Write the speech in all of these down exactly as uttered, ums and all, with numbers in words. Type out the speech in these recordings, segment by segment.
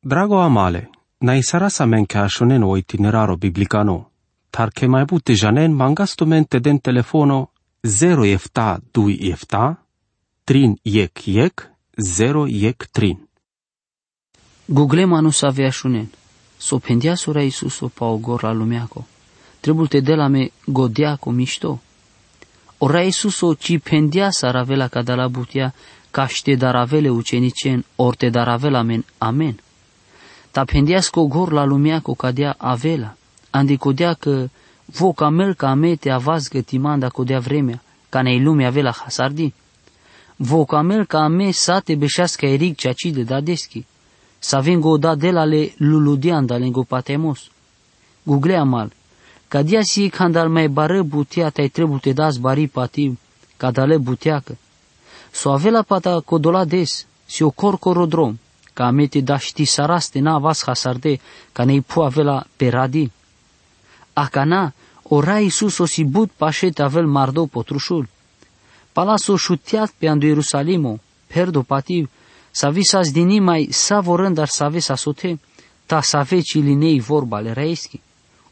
Drago amale, na isaraš amen ka šunen o itineraro biblikano. Tar ke maj but te džanen, mangav tumen te den telefono zero efta duj efta, trin jekh jekh, zero jekh trin. Guglem ano save ašunen. So phendeas o Raj Isuso pa o gor la lumjako, trebul te del amen godjako mišto. O Raj Isuso čhib phendeas sar avela ka dela butia, kaš te daravel e učeničen, or te daravel amen amen. Ta phendeas ko gor la lumjako kadea avela, andi kodea ke vo ka mel ka amen te avazgja ti manda kodea vremea, kana i lumea avela hasardi. Vo ka mel ka amen sa te bešas ka irig čači de dadeski, sa vengo da dela le luludjan da lengo patemos. Guglea mal, kadea si khandal maj bare butia taj trebul te das bari pativ, ka dale butia ke. So avela pata kodola des, si o korkoro drom, ka amen te dašti saras te na avas hasarde, kana i phuv avela peradi. Akana, o Raj Isuso si but paše te avel mardo potrušul. Pala so šutjat pe ando Jerusalimo, pherdo pativ, sa visas dini maj sa vorendar save sa sote, ta save čhiline i vorba le Rajeski.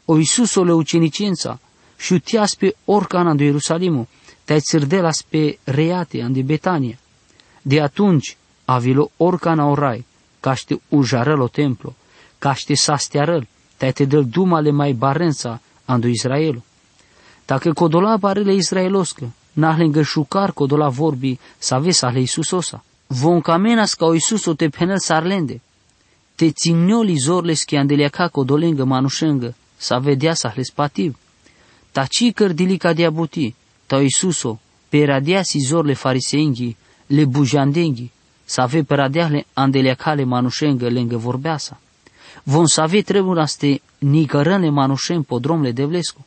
O Isuso le učeničenca, šutjas pe orkana ando Jerusalimo, taj crdelas pe rejate andi Betania. De atunjkar, avilo orkana o Raj, kaš te užarel o templo, kaš te sastjarel, taj te del duma le maj barenca ando Izraelo. Ta ke kodola bare le Izraeloske, na lenghe šukar kodola vorbi save sa le Isusosa. Von ka menas ka o Isuso te phenel sar lende. Te cingjol i zor leske ande ljakha ko dolenge manušenge, save deas ales pativ. Ta čhikar dili kadea buti, ta o Isuso, peradeas i zor le fariseengi, le bužandenghi, save peradeas le ande ljakha le manušenge lenge vorbeasa. Von save trebunas te nikaren le manušen po drom le Devlesko.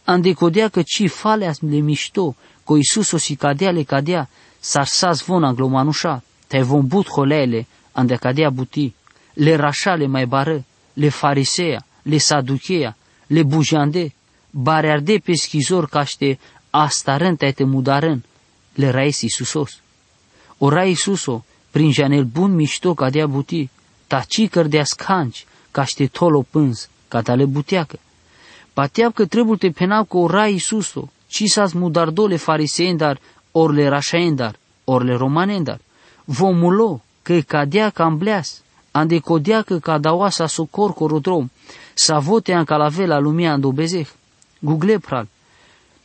Ande kodea ke čhib faleas le mišto, ko Isuso si kadea le kadea, sar sas von anglo manuša, taj von but holea le, ande kadea buti, le raša le maj bare, le fariseja, le sadukeja, le bužande, barearde peski zor kaš te astaren taj te mudaren, le Rajs Isusos. O Raj Isuso, prin džanel but mišto kadea buti, ta čhikardeas khanč, kaš te thol o pãnz, ka dale buteakã. Pateap ke trebul te phenav ke o Raj Isuso, čhisas mudardo le fariseendar, or le rašaendar, or le romanendar. Von mulo, ke kadea ka ambleas, ande kodea ke ka davaša so korkoro drom, savo te ankalavea la lumea ando bezeh. Gugle phral.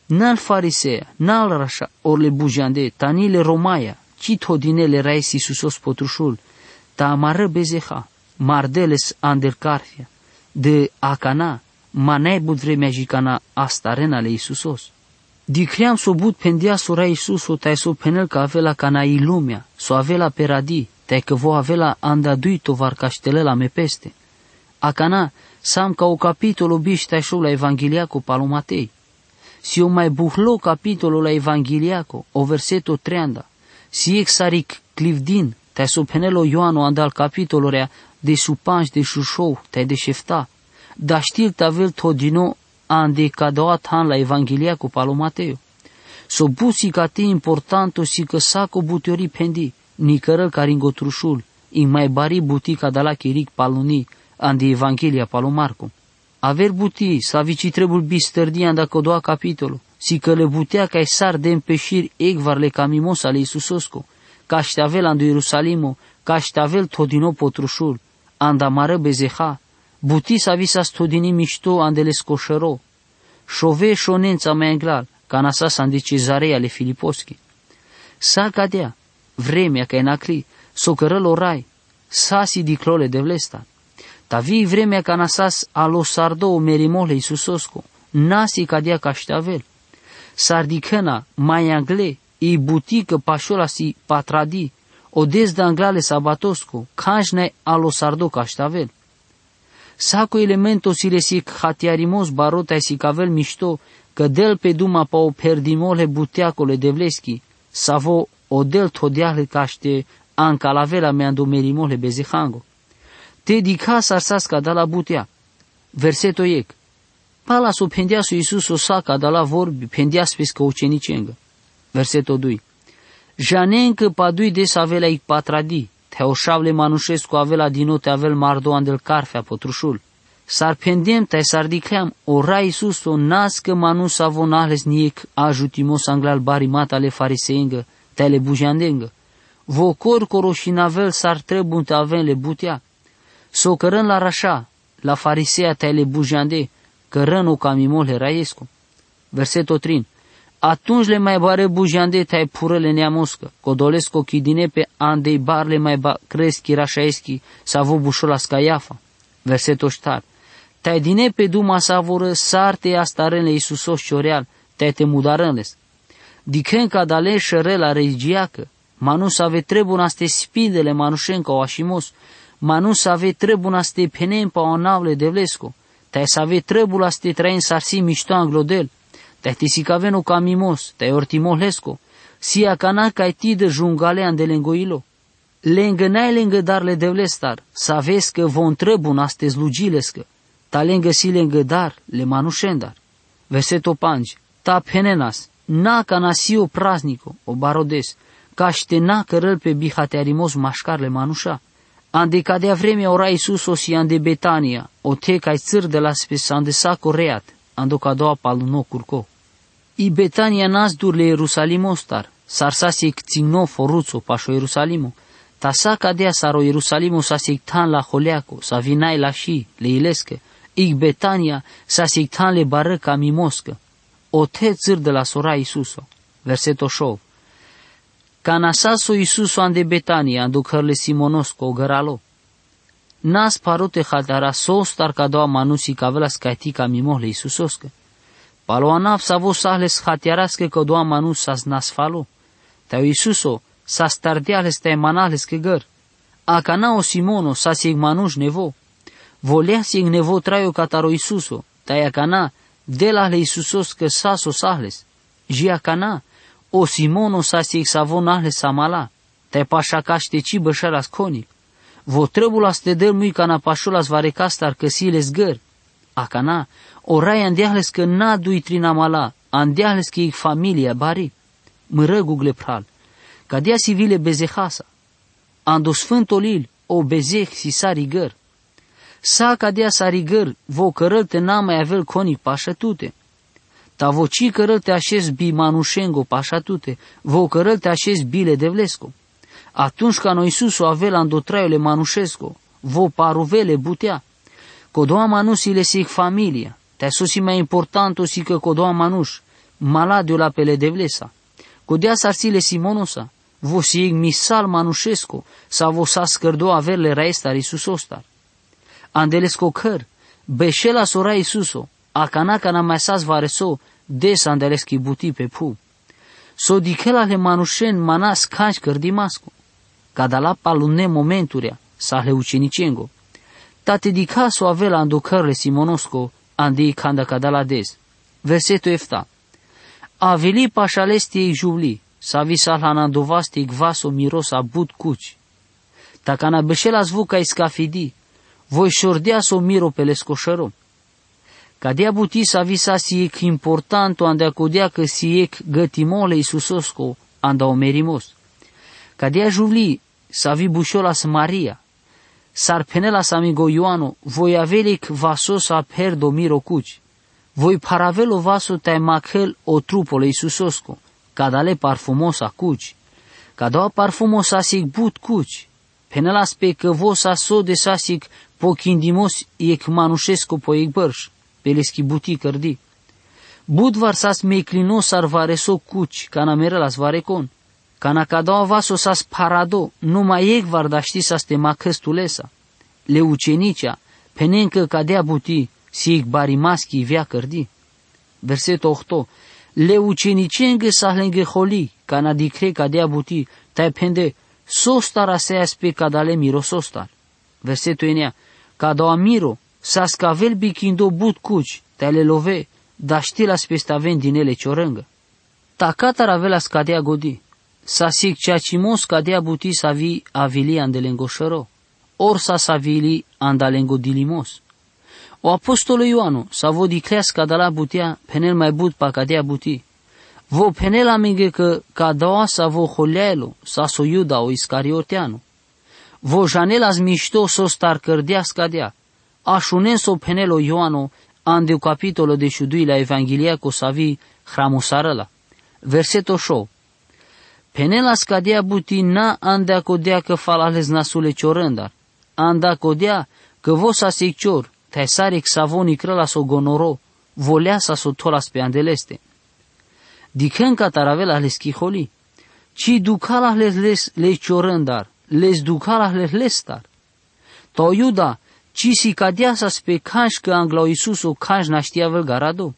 Na le fariseja, na le raša, or le bužande, ta ni le romaja, čhid thodine le Rajs Isusos potrušul, ta amare bezeha, mardeles ande karfia, de akana, ma najbut vremea dži kana astarena le Isusos. Dikhream so but phendeas o Raj Isuso taj so phenel ka avela kana i lumea, so avela peradi, taj ke vo avela anda duj tovar kaš te lela amen peste. Akana, sam ka o kapitolo biš taj šov la Evangeliako palo Matej. Si o maj buhlo kapitolo la Evangeliako, o verseto treanda. Si jekh sar i klivdin, taj so phenel o Joano andal kapitolorea dešupandž, dešušov, taj dešefta. Daštil te avel thodino ande kadava than la Evangeliako palo Matejo. So but sikate importanto si ke sako butiori phendi, nikarel ka ringo trušul, i maj bari buti ka dala ki rig paluni, ande Evangelia palo Marko. Aver buti, savi čhib trebul bisterdi anda kodova kapitolo, si ke le butea kaj sar den pešir ekvar le kamimosa le Isusosko, kaš te avel ando Jerusalimo, kaš te avel thodino potrušul, anda amare bezeha, buti sa visas thodini mišto ande lesko šero. Šove šonenca maj anglal, kana sas ande Cezareja le Filiposki. Sa kadea, vremea kaj nakhli, so kerel o Raj, sa si dikhlo le Devlestar. Ta vi vremea kana sas alo sardo o merimo le Isusosko, na si kadea kaš te avel. Sar dikhena, maj angle, i buti ke pašola si patradi, o des de angla le sabatosko, khanč naj alo sardo kaš te avel. Sako elemento si le si khatjarimos baro taj si ka avel mišto, ke del pe duma pa o pherdimo le buteako le Devleski, savo o del thodea le kaš te ankalavea la amen ando merimo le bezehango. Te dikha sar sas ka dala butea. Verseto jekh. Pala so phendeas o Isuso sa ka dala vorbi, phendeas peske učeničenge. Verseto duj. Džanen ke pa duj des avela i patradi, Te o šavle manušesko avela dino te avel mardo ande-l karfea potrušul. Sar phendem, te sar dikleam, o Ra Isuso nascã manuš savo nahles ni jekh ažutimos anglal barimatale fariseengã, te le bužandengã. Vo korkoro šinavel sar trebun te aven le butea. So cãrãn la raša, la farisea te le bužande, cãrãn o ka mimo le raesco. Verseto trin. Atunjle ma barã bužande te phurã le neamoscã, codolesco chidine pe ande barle ma ba cresti rašaeschi, savo bušolas Caiafa. Verseto štar. Te dine pe duma sa vorã sar te astarãn le Isusos čoreal, te te mudarãn les. Dikhen ca dale šerela regiacã, manuš save trebun aste spindele manušen ca o ašimos, manuš save trebun aste phenen pa o nav le Devlesco, te save trebun aste traen sar si mišto anglo del, te te sikaven o ka mimos, te ortimos lesco, si akana ca i tidã žungale ande lengo ilo. Lengã najlengã dar le Devlestar, saves cã von trebun aste slugji lescã, ta lengã si lengã dar le manušendar. Verseto pandž. Ta phenenas, na akana si o praznico, o baro des, caš te na cãrã-l pe bihatearimos mašcar le manuša. Ande cadea vremea o Ra Isuso si ande Betania, ote ca i cãrdelas pe sande saco reat, ando cadoa paluno curco. I Betania nas dur le Ierusalimostar, sar sas jekh cingno foruco pašo Ierusalimo, ta sa cadea sar o Ierusalimo sas jekh than la holeaco, savi nai laši le ilescã, i Betania sas jekh than le barã ka mimoscã. Ote cãrdelas o Ra Isuso. Verseto šov. Ca nasas o Isuso ande Betania, ando cãrle Simonosco, o gãralo. Nas parote hatara sostar cadoa manuš sikavelas cati ka mimo le Isusoscã. Palo anav savo sahles hatearascã cadoa manuš sas nas falo. Te o Isuso sas tardeahles te manahles cã gãr. Akana o Simono sas jekh manuš nevo. Voleas jekh nevo trajo catar o Isuso, te akana dela le Isusoscã sas o sahles. Ji akana, o Simono sas jekh savo nahles sa mala. Te paša caš te tsi bešelas conik. Vo trebulas te del mui ca na pašolas varecastar cã si lesgãr. Akana, o Rai andeahles cã na dui trin amala, andeahles cã i familia bari. Mãrãgugule phral. Cadea si vile bezehasa. Ando Sfântul Lil, o bezeh si sari gãr. Sa cadea sari gãr, vo cãrã-l te na ma avel conik pašã tute. Ta vo tsi cãrã-l te ašez bi manušengo pašã tute, vo cãrã-l te ašez bi le Devlesco. Atunjca no Isuso avel ando traiul le manušesco, vo paruvel le butea. Codoa manuš si le si jekh familia, te so si ma importanto si cã codoa manuš, mala di ola pe le Devlesa. Codea sar si le Simonosa, vo si jekh misal manušesco, savo sas cãrdo aver le raestar Isusostar. Ande lesco cãr, bešelas o Rai Isuso, akana ca na ma asas vareso, des ande leschi buti pe phu. So dikhelas le manušen mana scanj cãrdimasco. Cadala palune momenturea, sas le učenicengo. Ta te dikha so avel ando cãrle Simonosco, ande i canda cadala des. Verseto efta. Avili pašalesti jekh žuvli, savi sas la nandovasti jekh vaso mirosa but cuci. Ta ca na bešelas vo ca i scafidi, voi šordea so miro pe lesco šero. Cadea buti savi sas jekh importanto ande codea cã si jekh gãtimo le Isusosco anda o merimos. Cadea žuvli savi bušolas Maria. Sar phenelas amigo Ioano, voi avel jekh vaso sa pherdo miro cuci. Voi pharavel o vaso te makhel o trupo le Isusosco, cadale parfumosa cuci. Cadoa parfumo sas jekh but cuci. Phenelas pe cã vo sas sode sas jekh pochindimos jekh manušesco po jekh bãrš, pe leschi buti cãrdi. But var sas meclino sar vareso cuci, ca na merelas varecon. Ca na cadoa vaso sas pharado, numa jekh var dašti sas te makhãs tulesa. Le učenicea, phenen cã cadea buti, si jekh barimaschi ivea cãrdi. Verseto ohto. Le učenicenghi sas lenghi holi, ca na dikhle cadea buti, te phende, sostar aseas pe cadale mirosostar. Verseto enea. Cadoa miro, sas cavel bichindo but cuci, te le love, daštilas pe staven dine le čorãngã. Ta catar avelas cadea godi, sas jekh čačimos cadea buti savi avili ande lengo šero, or sas avili anda lengo dilimos. O apostolo Ioano, savo dikhleas cadala butea, phenel mai but pa cadea buti. Vo phenel amenge cã cadoa savo holeaelo, sas o Iuda o Iscarioteano. Vo žanelas mišto so star krdea s-kadea, ašunen so phenel o Ioano, ande o kapitolo dešudui la Evangelia ko savi hramusarela. Verseto šov. Phenelas s-kadea buti na anda kodea kë fala hlez nasu le čorendar, anda kodea kë vo sas jekh čor, thaj sar jekh savo nikrela so gonoro, volea sa so tholas pe ande leste. Dikhën katar avela hleskhi holi. Či dukhala hlez, hlez, hlez čorendar, hlez dukhala hlez, hlestar. Ta o Juda, či sikadea sas pe khanš kë angla o Isuso khanš našti avel garado.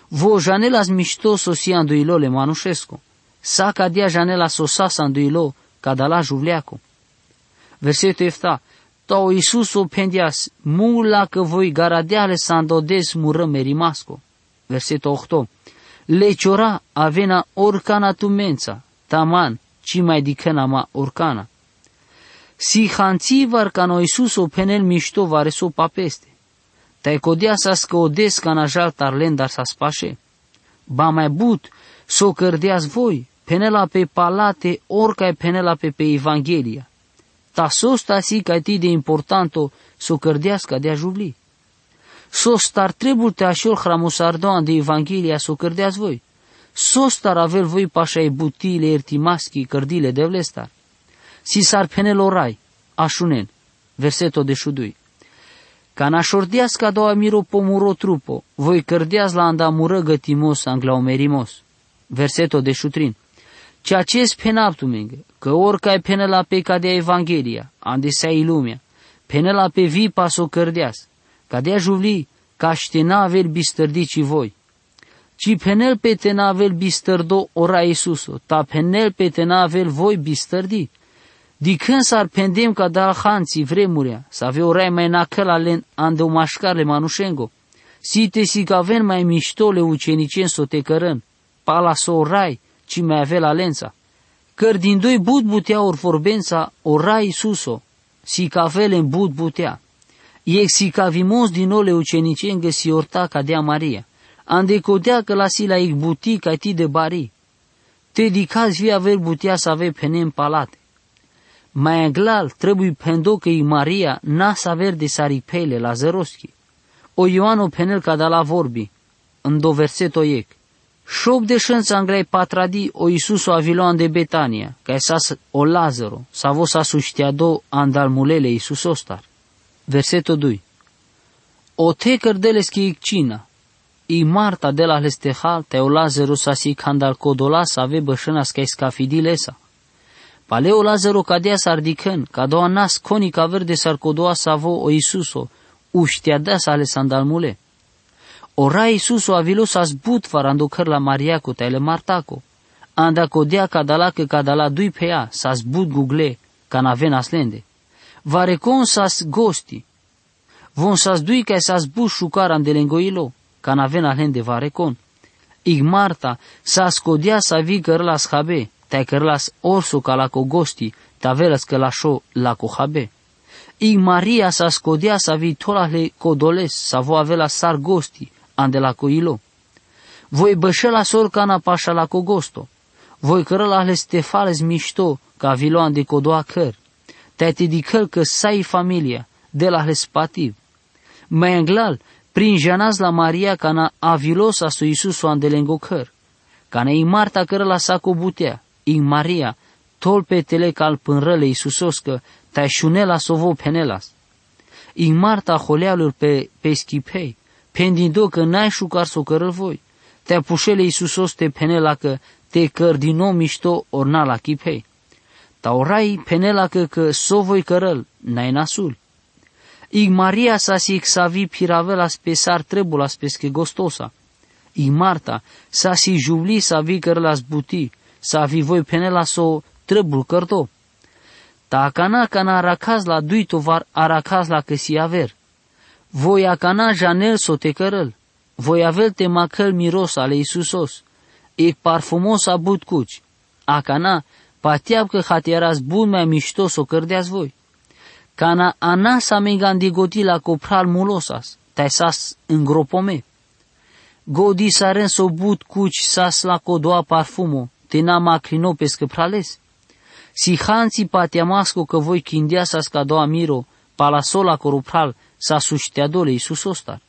Vo žanelas mišto so si ando ilo le manušesko. Sa kadea žanelas so sas ando ilo, ka dala žuvliako. Verseto efta. Ta o Isuso phendeas, mungla kë voi garadea hlez ando des murrë merimasko. Verseto ohto. Le čora avena orkana tumenca, taman či maj dikhena ma orkana. Si hantsivar kana o Isuso phenel mišto vareso papeste. Thaj kodea sas kë o des kana žal tar lendar sas paše. Ba maj but, so krdeas voi, phenela pe palate, orkaj phenela pe pe evangelia. Ta sostar si kajti de importanto, so krdeas kadea žuvli. Sostar trebul te ašol hramusardo ande evangelia so krdeas voi. Sostar avel voi paša e buti le ertimaski krdili e Devlestar. Si sar phenel o raj, ašunen. Verseto dešudui. Kana šordeas kado amiro po muro trupo, voi krdeas la anda murrë gëtimos angla o merimos. Verseto dešutrin. Čačes phenav tumenge, kë orkaj phenela pe kadea evangelia, ande sa i lumea, phenela pe vipa so krdeas, kadea žuvli, kaš te na avel bistrdi či voi. Či phenel pe te na avel bistrdo o raj Isuso, ta phenel pe te na avel voi bistrdi. Dikhën sar phendem ka dal hantsi vremurea, save o raj maj nakhel alen ande o maškar le manušengo. Si te sikaven maj mišto le učeničen so te kërën, pala so o raj či maj avel alenca. Krdindoj but butea orvorbenca o raj Isuso, sikave len but butea. Jekh sikavimos dino le učeničengë si orta kadea Maria. Ande kodea kë lasi la jekh buti kajti de bari. Te dikhas vi aver butea save phenem palate. Maj anglal, trebuj phendo kë i Maria nas aver de sar i phej le Lazaroski. O Ioano phenel ka dala vorbi, ndo verseto jekh. Šov dešënca anglaj patradi o Isuso avilo ande Betania, kaj sas o Lazaro, savo sas ušteado andal mule le Isusostar. Verseto duj. Othe krdel leske jekh čina. I Marta dela hleste hal, thaj o Lazaro sas i khandal kodola save bešënas kaj skafidi lesa. Pale o Lazaro kadea sar dikhën, kadoa nas khoni ka aver de sar kodoa savo o Isuso ušteadas ales andal mule. O raj Isuso avilo sas but var ando kër la Mariako thaj le Martako. Anda kodea ka dala kë ka dala duj pheja, sas but gugle, kana avenas lende. Varekon sas gosti. Von sas duj kaj sas but šukar ande lengo ilo, kana avenas lende varekon. Jekh Marta, sas kodea savi kërëlas habe, thaj kërëlas orso ka la ko gosti, te avelas kë la šo la ko habe. Jekh Maria sas kodea savi tholas le kodoles, savo avelas sar gosti, ande la ko ilo. Voi bešelas orkana paša la ko gosto. Voi kërëlas hleste fales mišto, ka avilo ande kodoa kër. Thaj te dikhel kë sa i familia, dela hleste pativ. Maj anglal, prinžanas la Maria kana avilo sas o Isuso ande lengo kër. Kana jekh Marta kërëlas sa ko butea, jekh Maria, thol pe tele kal pën rël e Isusoskë, thaj šunelas so vo phenelas. Jekh Marta holealur pe, peski phej, phendindo kë najšukar so kërël voi. Thaj pušel e Isusos te phenela kë te krdino mišto ornala ki phej. Ta o raj phenela kë kë so voi kërël, naj nasul. Jekh Maria sas jekh savi phiravelas pe sar trebulas peske gostosa. Jekh Marta sas i žuvli savi kërëlas buti, savi voi phenelas so trebul kërdo. Ta akana kana arakhas la duj tovar arakhas la kë si aver. Voi akana žanel so te kërël. Voi avel te makhel mirosa le Isusos. Jekh parfumosa but kuç. Akana, patiapkë hatiaras but maj mišto so krdeas voi. Kana anas amengandi godi la ko phral mulosas, thaj sas ngropome. Godi saren so but kuç sas la kodoa parfumo, te na makhlino peske phrales. Si hansi pa te amasko, cã voi chindeasas ca doa miro, pala so lacoro phral, sa suchteado le Isusostar.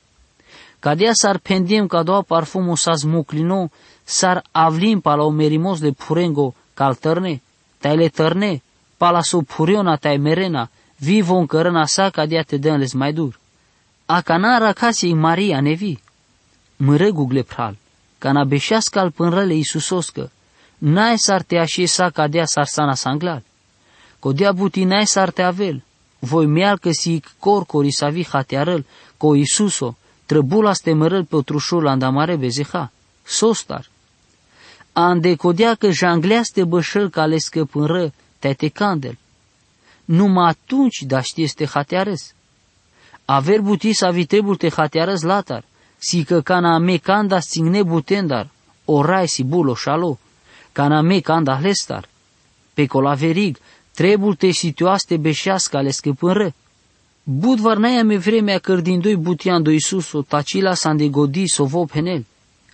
Cadea s-ar phendem ca doa parfumo sa smuclino, s-ar avlim pala o merimos le phurengo, ca al tãrne, tai le tãrne, pala so phuriona tai merena, vi von cãrãna sa cadea te dãn le sma dur. Acana aracasi i Maria, nevi? Mãregugule phral, cana bešeasca-l pãn rã le Isusoscã, nai s-ar te ashe sa cadea s-ar sana sa anglal. Codea buti nai s-ar te avel, voi meal cã si ic corcori s-avi hatearã-l, co Isuso, trãbula s-te mãrã-l potrušul anda mare bezeha, sostar. Ande codea cã janglea s-te bãšã-l ca lescã pãn rã, tai te candel. Numa atumci da shtii s-te hatearãs. Aver buti s-avi trebul te hatearãs latar, si cã cana me canda s-tsingne butendar, o rai si bulo šalo, cana me canda hlestar. Pe col averig, trebul te situas s-te bešeasca lescã pãn rã. But var nai ame vremea cãrdindoi buti ando Isuso, ta cila s-ande godi s-o vo phenel.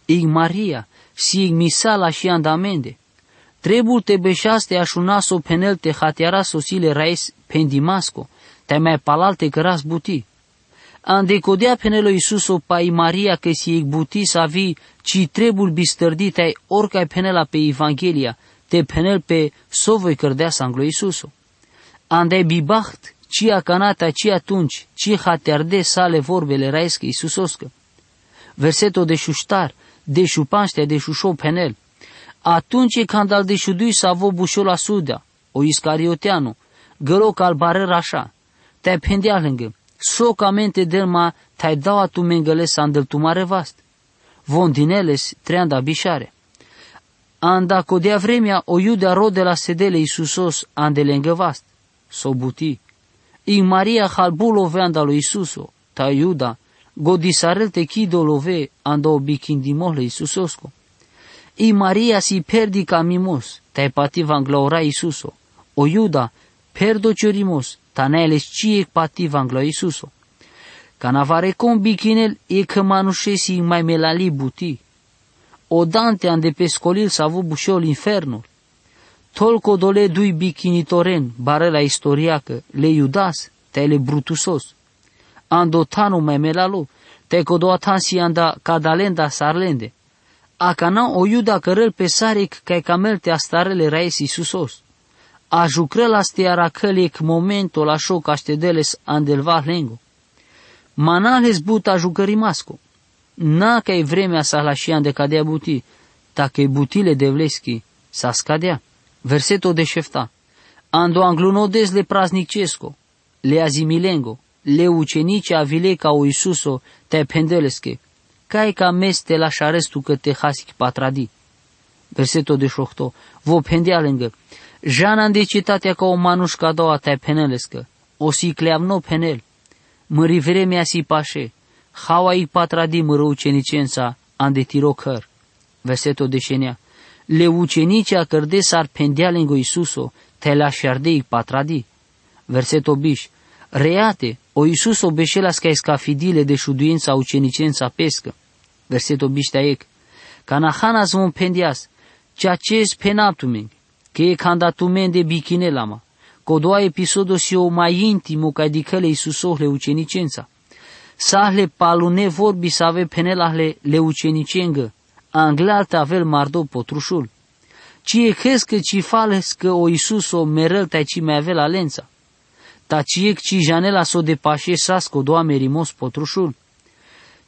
Ic Maria, si ic misal ashi anda mende. Trebul te bešeas s-te ashunas s-o phenel te hatearas sosile rais phen Dimasco, tai mai palalte cãras buti. Ande codea phenel o Isuso pa i Maria cã si ic buti s-avi ci trebul bistãrdi tai oricai phenela pe Evanghelia, te phenel pe so voi cãrdeasã anglo Isuso. Andai bibaht, ci acana tai ci atumci, ci hatearde sale vorbele raescã Isusoscã. Verseto dešuštar, dešupanš tai dešušo phenel. Atumci canda al dešudui s-avo bušo la Iuda, o Iscarioteanu, gãro ca al barãra aša, tai phendea lengã, so ca meni te del ma tai dau a tumengãle s-andel tu mare vast. Von dinel le s-treandã bišare. Anda codea vremea o Iuda rodela s-te del le Isusos ande lengã vast, s-o buti. Ic Maria hal bulo ove anda lo Isuso, ta Iuda, godisarel te chido love anda o bichindimo le Isusosco. Ic Maria si perdi ca mimos, tai pativa anglo rai Isuso. O Iuda, perdo ciorimos, ta nai le s-ci ic pativa anglo Isuso. Cana varecom bichinel ic manušesi mai melali buti. O Dante ande pe scolil s-avo bušo l'infernul. Tolco dole dui bichinitoren, barela istoriacã, le Iudas, tai le Brutusos. Ando tanu mai melalo, tai codoa than si anda cadalenda sarlende. Acana o Iuda cãrel pe sari ic cai ca mel te astarele raes Isusos. Ajucrela s-te aracãl ic momento la šo ca s-te del le s-andel vah lengo. Ma nalhe s-but ajucãrimasco. Naca i vremea s-ahlašea ande cadea buti, ta cã i butile devleschi s-ascadea. Verseto dešefta. Ando angluno dez le praznicesco, le azimilengo, le ucenicea avile ca o Isuso, tai phendelesche, cai ca meni s-te lašarãs tu cã te has ic patradi. Verseto dešohto. Vo phendea lengã, jan ande cetatea ca o manuš ca doa tai phenelescã, o si cleavno phenel. Mãri vremea si paše, haua ic patradi mãro ucenicensa ande tiro cãr. Verseto dešenea. Le ucenicea cãrde s-ar phendea lengo Isuso, tai lašarde ic patradi. Verseto biš. Reate, o Isuso bešelas cai scafidi le dešuduența a ucenicensa pescã. Verseto biš tai ec. Cana hanas von phendeas, cea ce s-phenatu meni, cã e canda tu mende bichinela ma. Codoa episodo si o mai intimo cai dicã le Isuso le ucenicensa. Sahle palune vorbi s-ave phenela le, le ucenicengã, anglal te avel mardo potrušul. Ci e chescã ci falescã o Isuso merel tai ci mai avel alența. Ta ci ec ci janela s-o depašesasco doa merimos potrušul.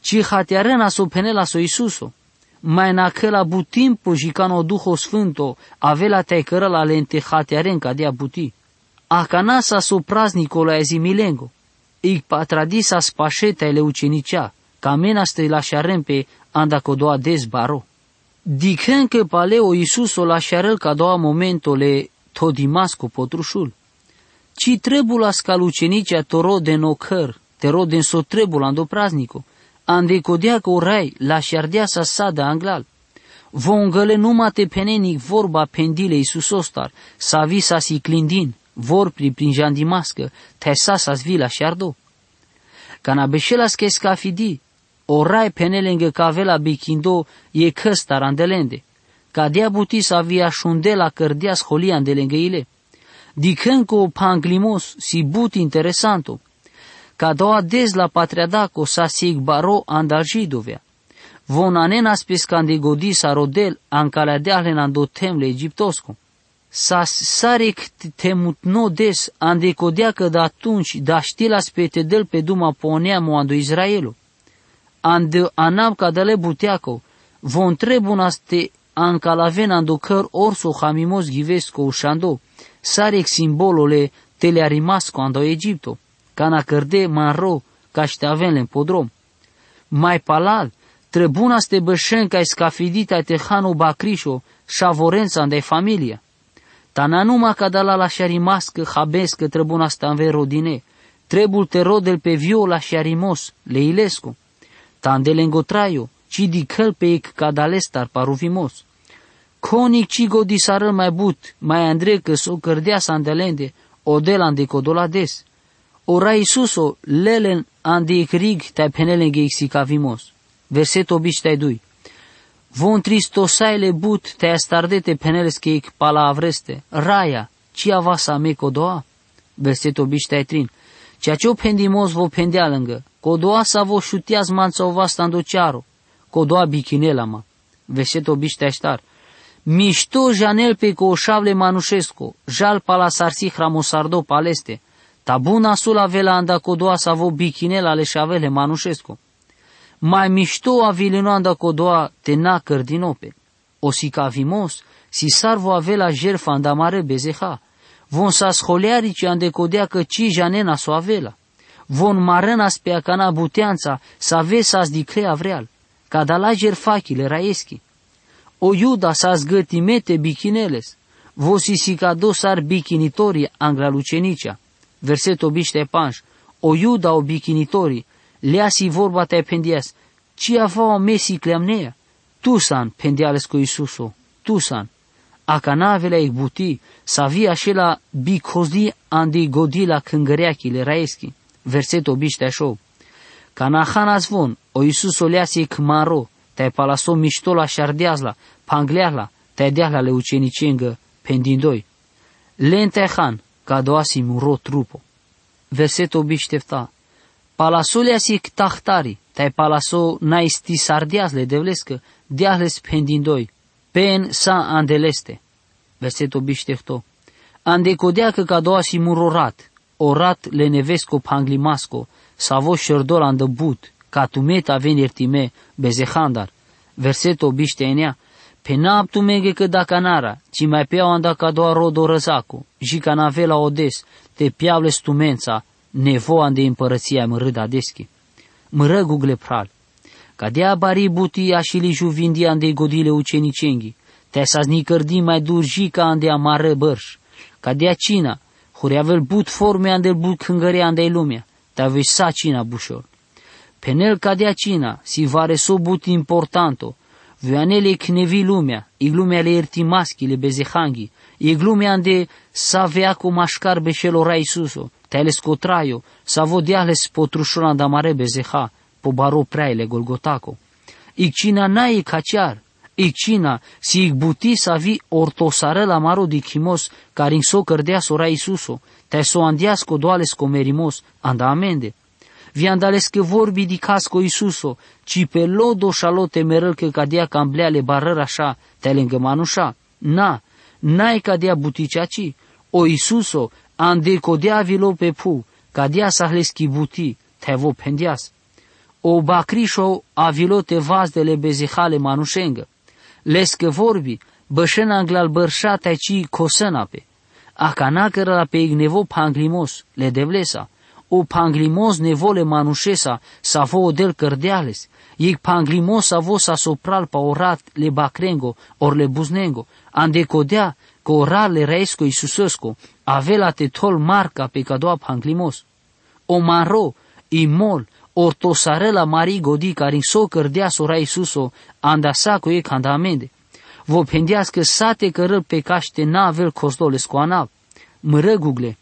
Ci hatearena s-o phenelas o Isuso. Mai na cãla but timpu jicano Duho Sfânto, avela tai cãrãla lente hatearen cadea buti. Acanasa s-o praznico la azimilengo. Ic patradi s-aspaše tai le ucenicea, ca mena s-te lašarem pe anda codoa dez baro. Dichen cã pale o Isuso lašarel ca doa momento le to Dimasco potrušul. Ci trebulas ca le ucenicea to roden o cãr, te roden s-o trebula ando praznico, ande codea cã o rai lašardea s-asadã anglal. Von gãle numa te phenen ic vorba phendi le Isusostar, s-avi s-asiclindin, vorpri prin jan Dimascã, tai sa s-asvi lašardo. Cana bešelas cai scafidi, o rai phenelengã cã avela bichindo e cãstar ande lende. Cadea buti s-avi ašundela cãrdea sholii ande lengã ile. Dikhèn ko phanglimoz si but interesanto. Kadoa dez la patriadaco sa si icbaro anda židovea. Von anenaspes ka ndegodisa rodel anca la deahlen ando them le Egiptosco. Sa sar ic themutno dez, ande kodeacã da tunci da štilaspe te del pe duma po neamo ando Israelo. Ande anam ka dale buteaco, von trebunaste anca la ven ando cãr orso hamimoz ghivesco ušando, sar ic simbolo le te le arimasco ando Egipto, cana cãrde manro, cash te aven len podrom. Mai palal, trebunaste bešen cai scafidita te hano bacrišo, šavorenca ndai familia. Ta nanuma ca dala la šarimascã habescã trebunaste anve rodine, trebul te rodel pe vio la šarimoz, le ilesco. Ta ndelengo traio, ci dikhel pe ic ca dalestar paruvimoz. Coni ci godisarã mai but, mai andre cã so cãrdea sa ndelende, o del ande codola dez. O ra Isuso, lelen ande ic rig tai phenelenghe ic sicavimoz. Verseto bici tai dui. Von tristosai le but tai astarde te phenelesche ic pala avreste, raia, ci avasa me codoa? Verseto bici tai trin. Ceacio phendimoz vo phendealãngã, codoa sa vo šutias manca ovasta ando cearo, codoa bichinela ma. Verseto bici tai štar. Mišto žanel pe co šavle manušesco, žal pala sar si hramosardo paleste, ta buna sula vela anda codoa sa vo bichinela le šavele manušesco. Mai mišto avilino anda codoa te na cãrdino pe. O sicavimoz, si sar vo avela žerfa anda mare bezeha. Von sa scolearici ande codeacã ci žanena so avela. Von marenaspe acana buteanca, sa ve sa sdiclea vreal. Ca dala žerfachi le raeschi. O Iuda sa sgãtime te bichineles. Vo si sicado sar bichinitori angla lucenicea. Verseto bici tai panj. O Iuda o bichinitori, lea si vorba tai phendeas, ci avao me sicleam nea? Tu san, phendealesco Isuso, tu san. Acana avela ic buti, sa vi ašela bicozdi ande godi la cãngãreachi le raeschi. Verseto bici tai šou. Cana hanas von, o Isuso lea si ic manro, tai pala so mišto la šardeasla, phangleasla, tai deahla le ucenicengã, phendindoi. Len tai han, cadoa si muro trupo. Verseto bici tai fta. Pala so lea si ic tahtari, tai pala so na istisardeas le Devlescã, deahles phendindoi, pen sa ande leste. Verseto bici tai fto. Ande codeacã cadoa si muro rat, o rat le nevesco phanglimasco, sa vo šerdol anda but, ca tume ta ven irtime, bezehandar. Verseto bici tai enea. Phenap tumenghe cã dacanara, ci mai peao anda cadoa rodo rãzaco, zi cana avela o dez, te peavles tumenca, nevo ande împărăția mãrâdadeschi. Mãrãgughle phral. Cadea bari buti ašili juvindi ande godi le ucenicenghi, tai sa snicãrdi mai dur zi ca ande amarã bãrš. Cadea cina, hori avel but forme ande but cãngãrea ande lumea, tai voi sa cina bušor. Phenel cadea cina, si vareso but importanto, voi anel ic nevi lumea, ic lumea le irtimaschi le bezehanghi, ic lumea ande sa veaco mašcar bešel o ra Isuso, tai lesco traio, sa vo deahles potrušor anda mare bezeha, po baro prai le Golgotaco. Ic cina na ic aciar, ic cina, si ic buti sa vi ortosarã la maro dichimoz, carin so cãrdeas o ra Isuso, tai so andeas codoa lesco merimoz, anda amende. Vi anda lesche vorbi dicasco Isuso, ci pe lodo šalo te merãl cã cadea ca mblea le barãr aša, tai lengã manuša. Na, na ic cadea buti ceaci, o Isuso, ande codea avilo pe phuv, cadea sa leschi buti, tai vo phendeas. O bacrišo avilo te vazde le bezeha le manušengã. Lesche vorbi, bãšen anglal bãrša tai ci cosãna pe. Acana cãrla pe ic nevo phanglimoz, le Devlesa. O phanglimoz nevo le manušesa, sa vo o del cãrdeales. Ic phanglimoz sa vo sa sopral pa o rat le bacrengo, or le buznengo. Ande codea, cã o rat le raesco Isusesco, avela te thol marca pe cadoa phanglimoz. O maro, i mol, ortosarã la mari godi carin so cãrdeas o ra Isuso, anda sa co ic anda amende. Vo phendeas cã sa te cãrãl pe cash te na avel cosdo lesco anap. Mãrãgughle,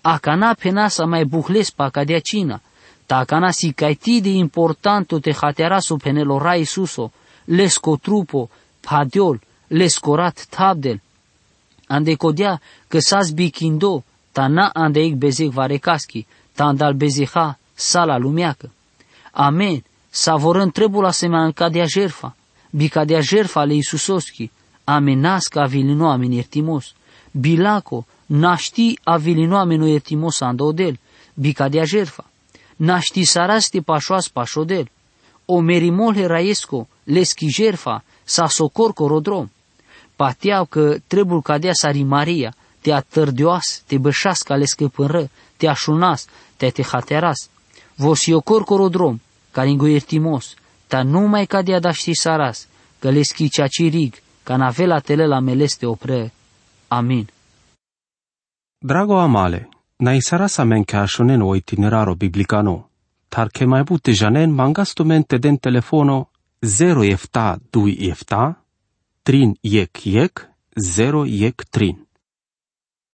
acana phenasa mai buhles pa cadea cina, ta acana si caiti de importanto te hatearaso phenel o ra Isuso, lesco trupo, phadiol, lesco rat thabdel. Ande kodea, ka sa bikindo, ta na ande ik bezek varekaski, ta andal bezeha, sala lumeakã. Amen. Sa vorăn trebul asemenea kadea žerfa, bi kadea žerfa ale Isusoski, amen, naska avilino amen ertimos. Bilako, našti avilino amen o ertimos ando del, bi kadea žerfa. Našti saras te pašoas pašo del. O merimo le rajesko, leski žerfa, sa so korkoro drom. Pateav kã trebul kadea sari Maria, te atãrdioas, te bešas ka leske pãnrã, te ašunas, te te hatearas. Vo si o korkoro drom, karingo ertimos, ta numai kadea dašti saras, kã leski čačirig, ka na vela te lel amen leste o prë. Amin. Drago amale, na isaras amen ka ašunen o itineraro biblikano. Tar ke majbute žanen, mangas tumen te den telefono zero efta duj efta, trin jekh jekh, zero jekh trin.